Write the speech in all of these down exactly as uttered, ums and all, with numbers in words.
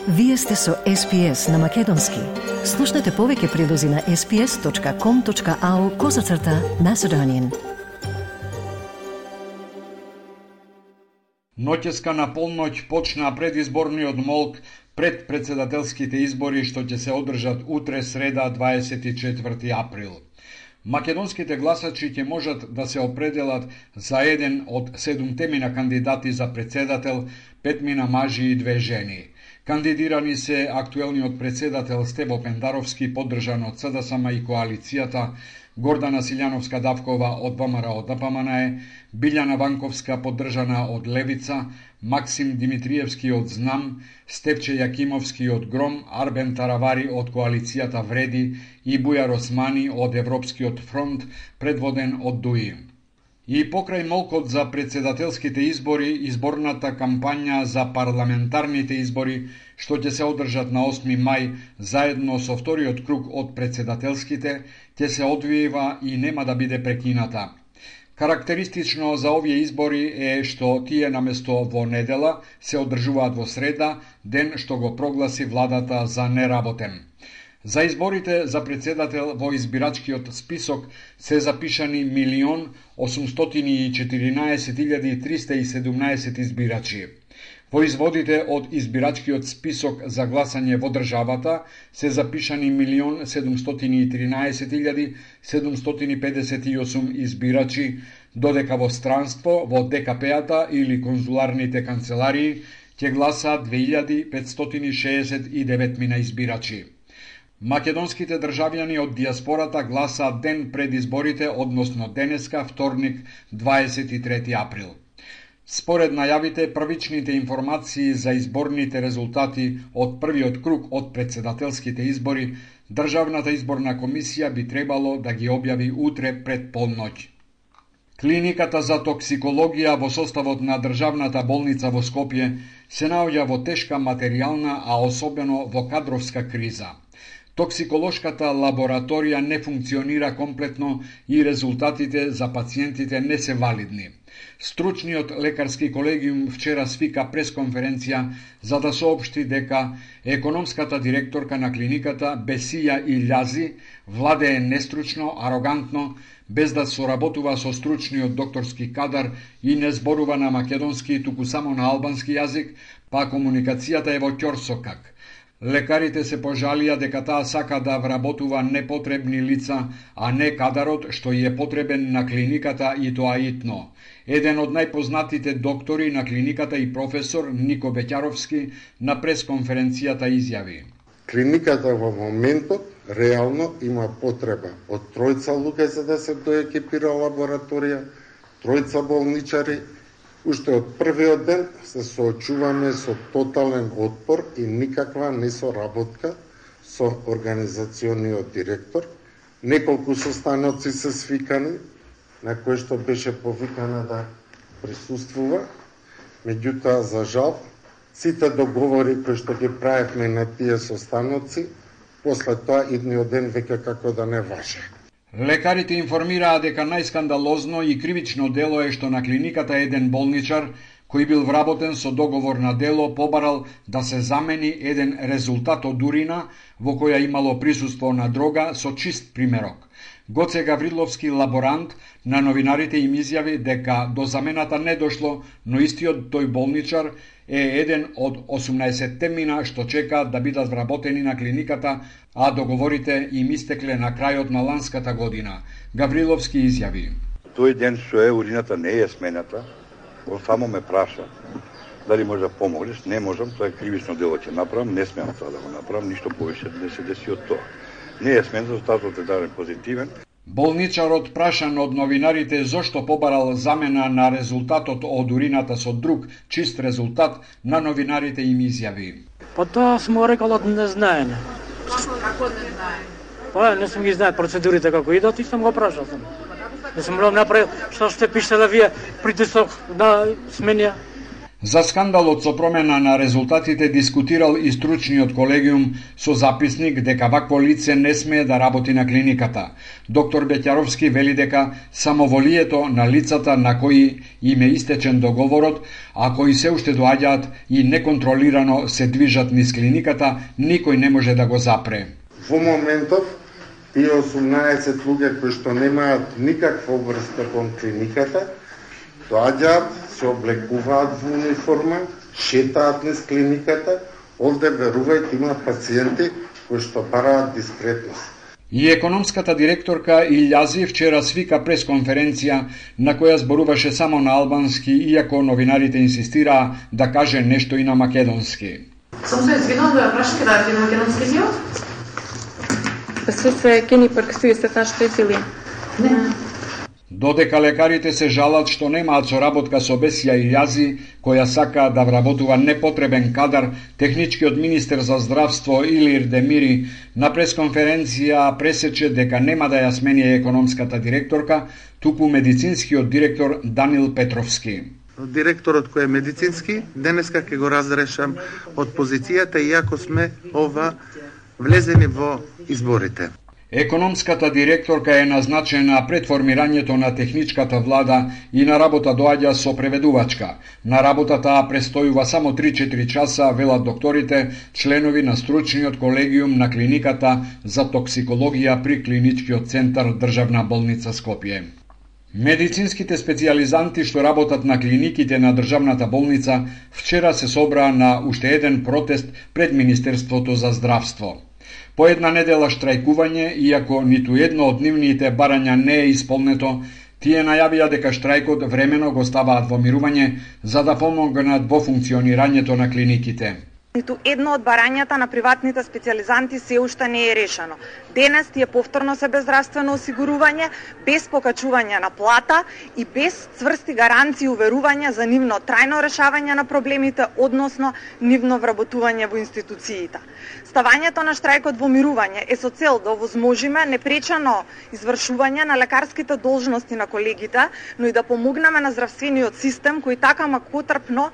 Вие сте со Ес Пи Ес на Македонски. Слушнете повеќе прилози на ес пи ес точка ком точка ау козацрта Macedonian. Ноќеска на полноќ почна предизборниот молк пред председателските избори што ќе се одржат утре среда дваесет и четврти април. Македонските гласачи ќе можат да се определат за еден од седумтемина кандидати за председател, петмина мажи и две жени. Кандидирани се актуелниот председател Стево Пендаровски, поддржан од Ц Д С М и коалицијата, Гордана Силјановска-Давкова од Б М Р од Д П М Н Е, Билјана Ванковска поддржана од Левица, Максим Димитриевски од Знам, Степче Јакимовски од Гром, Арбен Таравари од коалицијата Вреди и Бујар Османи од Европскиот фронт, предводен од Дуи. И покрај молкот за председателските избори, изборната кампања за парламентарните избори, што ќе се одржат на осми мај, заедно со вториот круг од председателските, ќе се одвива и нема да биде прекината. Карактеристично за овие избори е што тие наместо во недела се одржуваат во среда, ден што го прогласи владата за неработен. За изборите за председател во избирачкиот список се запишани милион осумстотини и четиринаесет илјади триста и седумнаесет избирачи. Во изводите од избирачкиот список за гласање во државата се запишани милион седумстотини и тринаесет илјади седумстотини педесет и осум избирачи, додека во странство, во Д К П-ата или конзуларните канцеларии ќе гласаат две илјади петстотини шеесет и девет мина избирачи. Македонските државјани од дијаспората гласаат ден пред изборите, односно денеска, вторник, дваесет и трети април. Според најавите, првичните информации за изборните резултати од првиот круг од председателските избори, Државната изборна комисија би требало да ги објави утре пред полноќ. Клиниката за токсикологија во составот на Државната болница во Скопје се наоѓа во тешка материјална, а особено во кадровска криза. Токсиколошката лабораторија не функционира комплетно и резултатите за пациентите не се валидни. Стручниот лекарски колегиум вчера свика пресконференција за да соопшти дека економската директорка на клиниката Бесија Илјази владее нестручно, арогантно, без да соработува со стручниот докторски кадар и не зборува на македонски, туку само на албански јазик, па комуникацијата е во ќорсокак. Лекарите се пожалија дека таа сака да вработува непотребни лица, а не кадарот што е потребен на клиниката и тоа итно. Еден од најпознатите доктори на клиниката и професор Нико Беќаровски на пресконференцијата изјави: Клиниката во моментот реално има потреба од тројца луѓе за да се доекипира лабораторија, тројца болничари. Уште од првиот ден се соочуваме со тотален отпор и никаква несоработка со организациониот директор. Неколку состаноци се свикани, на кои што беше повикана да присуствува. Меѓутоа, за жал, сите договори кои што ги правевме на тие состаноци, после тоа идниот ден веќе како да не важе. Лекарите информираа дека најскандалозно и кривично дело е што на клиниката еден болничар, кој бил вработен со договор на дело, побарал да се замени еден резултат од урина во која имало присуство на дрога со чист примерок. Гоце Гавриловски, лаборант, на новинарите им изјави дека до замената не дошло, но истиот тој болничар е еден од осумнаесетте мина што чекаат да бидат вработени на клиниката, а договорите им истекле на крајот на ланската година. Гавриловски изјави: Тој ден што е урината не е смената, он само ме праша дали може да помогнеш. Не можам, тоа е кривично дело ќе направам, не смеам тоа да го направам, ништо повеќе не се деси од тоа. Не е смен, резултатот е даден позитивен. Болничарот прашан од новинарите зошто побарал замена на резултатот од урината со друг чист резултат, на новинарите им изјави: Па тоа смо рекал од незнаење. Како не знае? Па не сум ги знаел процедурите како идат и сум го прашал сам. Не сум го направил што што пишете да вие притисок на сменија. За скандалот со промена на резултатите дискутирал и стручниот колегиум со записник дека вакво лице не смее да работи на клиниката. Доктор Беќаровски вели дека самоволието на лицата на кои им е истечен договорот, а кои се уште доаѓаат и неконтролирано се движат низ клиниката, никој не може да го запре. Во моментов, тие осумнаесет луѓе кои што немаат никаква врска кон клиниката, доаѓаат, се облекуваат во униформа, шетаат низ клиниката, овде верувајте има пациенти кои што бараат дискретност. И економската директорка Илјази вчера свика пресконференција на која зборуваше само на албански, иако новинарите инсистираа да каже нешто и на македонски. Сум се извинал да ја прашате да е на македонски език? Присутствие кени прекъсват нашите сили. Не. Додека лекарите се жалат што немаат соработка со Бесија Илјази, која сака да вработува непотребен кадар, техничкиот министер за здравство Илир Демири на пресконференција пресече дека нема да ја смени економската директорка, туку медицинскиот директор Данил Петровски. Директорот кој е медицински, денеска ќе го разрешам од позицијата, иако сме ова влезени во изборите. Економската директорка е назначена пред формирањето на техничката влада и на работа доаѓа со преведувачка. На работата престојува само три-четири часа, велат докторите, членови на стручниот колегиум на клиниката за токсикологија при клиничкиот центар Државна болница Скопје. Медицинските специјализанти што работат на клиниките на државната болница вчера се собраа на уште еден протест пред Министерството за здравство. По една недела штрајкување, иако ниту едно од нивните барања не е исполнето, тие најавија дека штрајкот времено го ставаат во мирување за да помогнат во функционирањето на клиниките. Ниту едно од барањата на приватните специјализанти се уште не е решено. Денес тие повторно се без здравствено осигурување, без покачување на плата и без цврсти гаранции и уверувања за нивно трајно решавање на проблемите, односно нивно вработување во институциите. Ставањето на штрајкот во мирување е со цел да овозможиме непречано извршување на лекарските должности на колегите, но и да помогнеме на здравствениот систем кој така макотрпно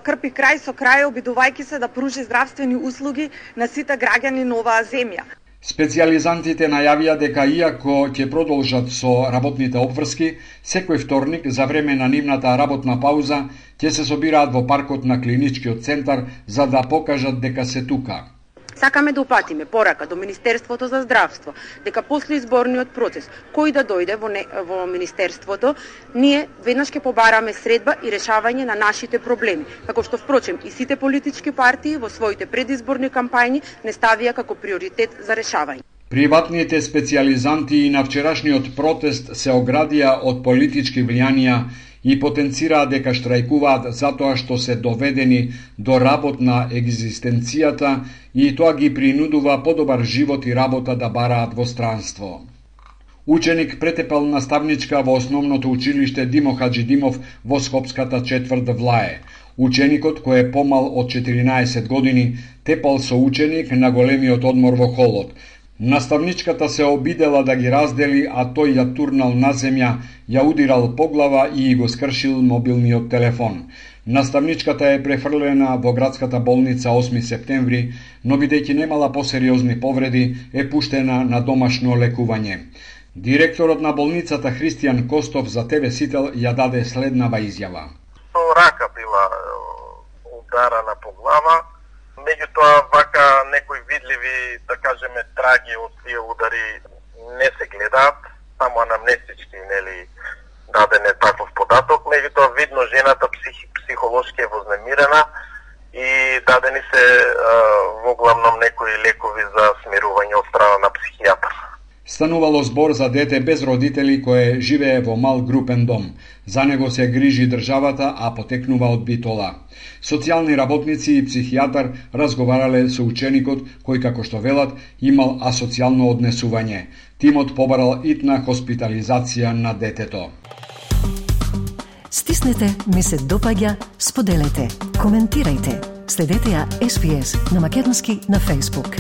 крпи крај со крај, обидувајќи се да пружи здравствени услуги на сите граѓани на оваа земја. Специјализантите најавија дека иако ќе продолжат со работните обврски, секој вторник за време на нивната работна пауза ќе се собираат во паркот на клиничкиот центар за да покажат дека се тука. Сакаме да упатиме порака до Министерството за здравство дека после изборниот процес кој да дојде во, не, во Министерството, ние веднаш ќе побараме средба и решавање на нашите проблеми, како што впрочем и сите политички партии во своите предизборни кампањи не ставија како приоритет за решавање. Приватните специјализанти и на вчерашниот протест се оградија од политички влијанија и потенцираа дека штрајкуваат затоа што се доведени до работ на екзистенцијата и тоа ги принудува подобар живот и работа да бараат во странство. Ученик претепал наставничка во основното училиште Димо Хаджидимов во Скопската четврт Влае. Ученикот, кој е помал од четиринаесет години, тепал со ученик на големиот одмор во холот. Наставничката се обидела да ги раздели, а тој ја турнал на земја, ја удирал по глава и го скршил мобилниот телефон. Наставничката е префрлена во градската болница осми септември, но бидејќи немала посериозни повреди, е пуштена на домашно лекување. Директорот на болницата Христијан Костов за Те Ве Сител ја даде следнава изјава. Рака била ударана по глава, меѓутоа вака некои видливи, да кажеме, траги од тие удари не се гледаат, само анамнестички, нели, даден е таков податок, меѓутоа видно жената псих, психолошки е вознемирена и дадени се а, во главном некои лекови за смирување од страна на психијатар. Станувало збор за дете без родители кое живее во мал групен дом. За него се грижи државата, а потекнува од Битола. Социјални работници и психијатар разговарале со ученикот, кој, како што велат, имал асоцијално однесување. Тимот побарал итна хоспитализација на детето. Стиснете, ми се допаѓа, споделете, коментирајте. Следете ја Ес Би Ес на македонски на Facebook.